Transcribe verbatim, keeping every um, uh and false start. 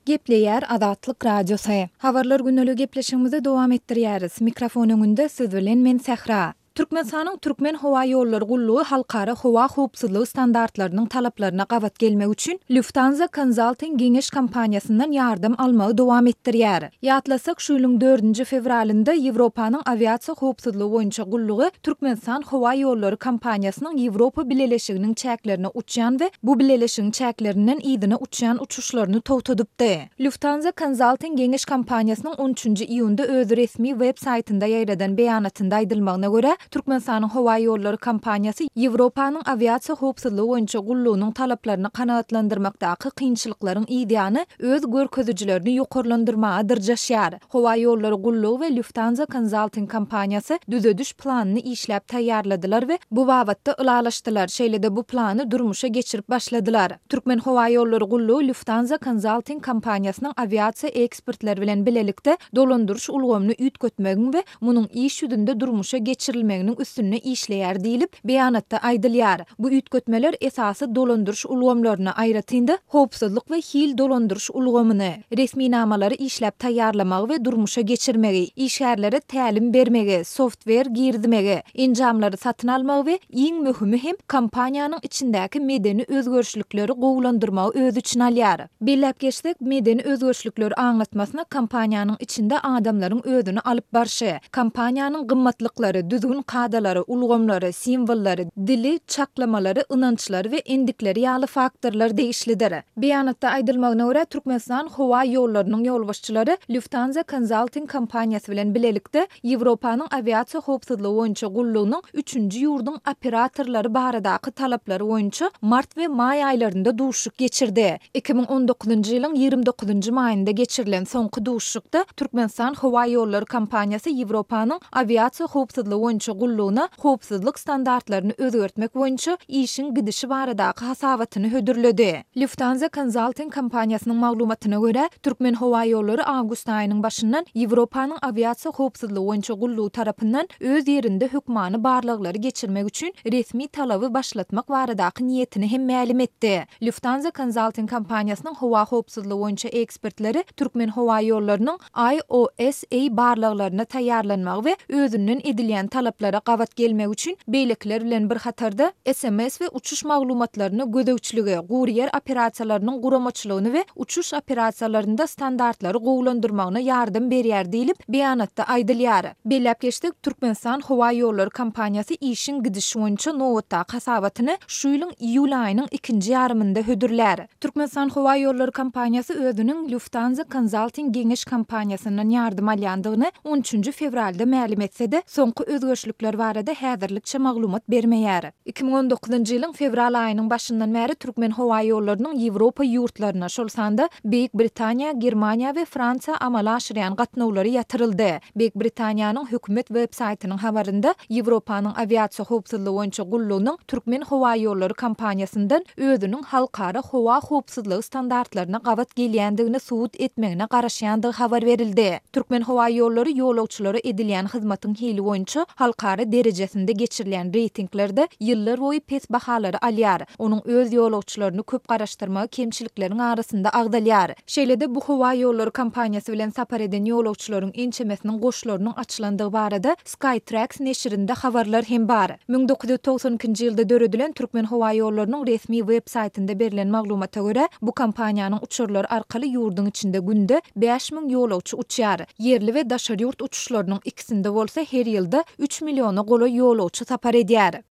Gepleýär Azatlyk Radiosy. Habarlar gündeligi gepleşigimizi dowam etdirýäris. Mikrofon öňünde siz bilen men Sähra. Türkmenistanyň Türkmenhowaýollary gullugy halkara howa howpsuzlygy standartlarynyň talaplaryna gabat gelmek üçin Lufthansa Consulting geňeş kompaniýasyndan ýardam almagy dowam etdirýär. Ýatlasak, şu ýylyň dördünji fewralynda Ýewropanyň awiasiýa howpsuzlygy boýunça gullugy Türkmenistan howaýollary kompaniýasynyň Ýewropa Bileleşiginiň çäklerine uçýan we bu bileleşigiň çäklerinden yzyna uçýan uçuşlaryny togtadypdy. Lufthansa Consulting geňeş kompaniýasynyň on üçünji iýunda öz resmi web saýtynda ýaýradan beýanatynda aýdylmagyna görä, Türkmenistanyň howaýollary kompaniýasy Ýewropanyň awiasiýa howpsuzlygy boýunça gullugynyň talaplaryny kanagatlandyrmakdaky kynçylyklaryň yzýany öz görkezijilerini ýokarlandyrmaga dyrjaşýar. Howaýollary gullugy we Lufthansa Consulting kompaniýasy düzediş planyny işläp taýýarladylar we bu babatda ylalaşdylar, şeýle-de bu plany durmuşa geçirip başladylar. Türkmenhowaýollary gullugy Lufthansa Consulting kompaniýasynyň awiasiýa ekspertleri bilen bilelikde dolandyryş ulgamyny üýtgetmegiň we munuň iş ýüzünde durmuşa geçirilmeginiň üstünde işleýär diýlip, beýanatda aýdylýar. Bu üýtgetmeler esasy dolandyryş ulgamlaryny, aýratyn-da, howpsuzlyk we hil dolandyryş ulgamyny, resminamalary işläp taýýarlamagy we durmuşa geçirmegi, işgärlere tälim bermegi, softwer girizmegi, enjamlary satyn almagy we iň möhümi hem kompaniýanyň içindäki medeni özgerişlikleri gowulandyrmagy öz içine alýar. Belläp geçsek, medeni özgerişlikler aňlatmasyna kompaniýanyň içinde adamlaryň özüni alyp barşy, kompaniýanyň gymmatlyklary, düzgün-kadalary, ulgamlary, simwollary, dili, çaklamalary, ynançlary we endikleri ýaly faktorlar degişlidir. Beýanatda aýdylmagyna görä, Türkmenistan howa ýollarynyň ýolbaşçylary Lufthansa Consulting kompaniýasy bilen bilelikde Ýewropanyň awiasiýa howpsuzlygy boýunça gullugynyň üçünji ýurduň operatorlary baradaky talaplary boýunça mart we maý aýlarynda duşuşyk geçirdi. Iki müň on dokuzynjy ýylyň ýigrimi dokuzynjy maýynda geçirilen soňky duşuşykda Türkmenistan howa ýollary kompaniýasy Ýewropanyň awiasiýa howpsuzlygy boýunça gullugyna howpsuzlyk standartlaryny özgertmek boýunça işiň gidişi baradaky hasabatyny hödürledi. Lufthansa Consulting kompaniýasynyň maglumatyna görä, Türkmenhowaýollary awgust aýynyň başyndan Ýewropanyň awiasiýa howpsuzlygy boýunça gullugy tarapyndan öz ýerinde hökmany barlaglary geçirmek üçin resmi talaby başlatmak baradaky niýetini hem mälim etdi. Lufthansa Consulting kompaniýasynyň howa howpsuzlygy boýunça ekspertleri Türkmenhowaýollarynyň I O S A barlaglaryna taýýarlanmagy we özünden edilýän talaplara gabat gelmek üçin beýlekiler bilen bir hatarda S M S we uçuş maglumatlaryny gözegçiligi, gury ýer operasiýalarynyň guramaçylygyny we uçuş operasiýalarynda standartlary gowulandyrmagyna ýardam berýär diýlip, beýanatda aýdylýar. Belläp geçsek, Türkmenistan howa ýollary kompaniýasy işiň gidişi boýunça nobatdaky hasabatyny şu ýylyň iýul aýynyň ikinji ýarymynda hödürlär. Türkmenistan howa ýollary kompaniýasy özüniň Lufthansa Consulting geňeş kompaniýasyndan ýardam alýandygyny on üçünji fewralda mälim etse-de, soňky özgerişlikler barada häzirlikçe maglumat bermeýär. Iki müň on dokuzynjy ýylyň fewral aýynyň başyndan bäri Türkmen howa ýollarynyň Ýewropa ýurtlaryna, şol sanda Beýik Britaniýa, Germaniýa we Fransiýa amala aşyrýan gatnawlary ýatyryldy. Beýik Britaniýanyň hökümet web saýtynyň habarynda Ýewropanyň awiasiýa howpsuzlygy boýunça gullugynyň Türkmen howa ýollary kompaniýasyndan özüniň halkara howa howpsuzlygy standartlaryna gabat gelýändigini subut etmegine garaşýandygy habar berildi. Türkmen howa ýollary ýolagçylara edilýän hyzmatyň hili boýunça halkara derejesinde geçirilýän reýtinglerde ýyllar boýy pes bahalary alýar. Onuň öz ýolagçylaryny köp garaşdyrmagy kemçilikleriň arasynda agdalýar. Şeýle-de bu howa ýollary kompaniýasy bilen sapar eden ýolagçylaryň ençemesiniň goşlarynyň açylandygy barada Skytrax neşirinde habarlar hem bar. Müň dokuz ýüz togsan ikinji ýylda döredilen Türkmen howa ýollarynyň resmi web saýtynda berlen maglumata görä, bu kompaniýanyň uçarlary arkaly ýurduň içinde günde bäş müň ýolagçy uçýar. Ýerli we daşary ýurt uçuşlarynyň ikisinde bolsa her ýylda üç milliona golaý ýolagçy sapar edýär.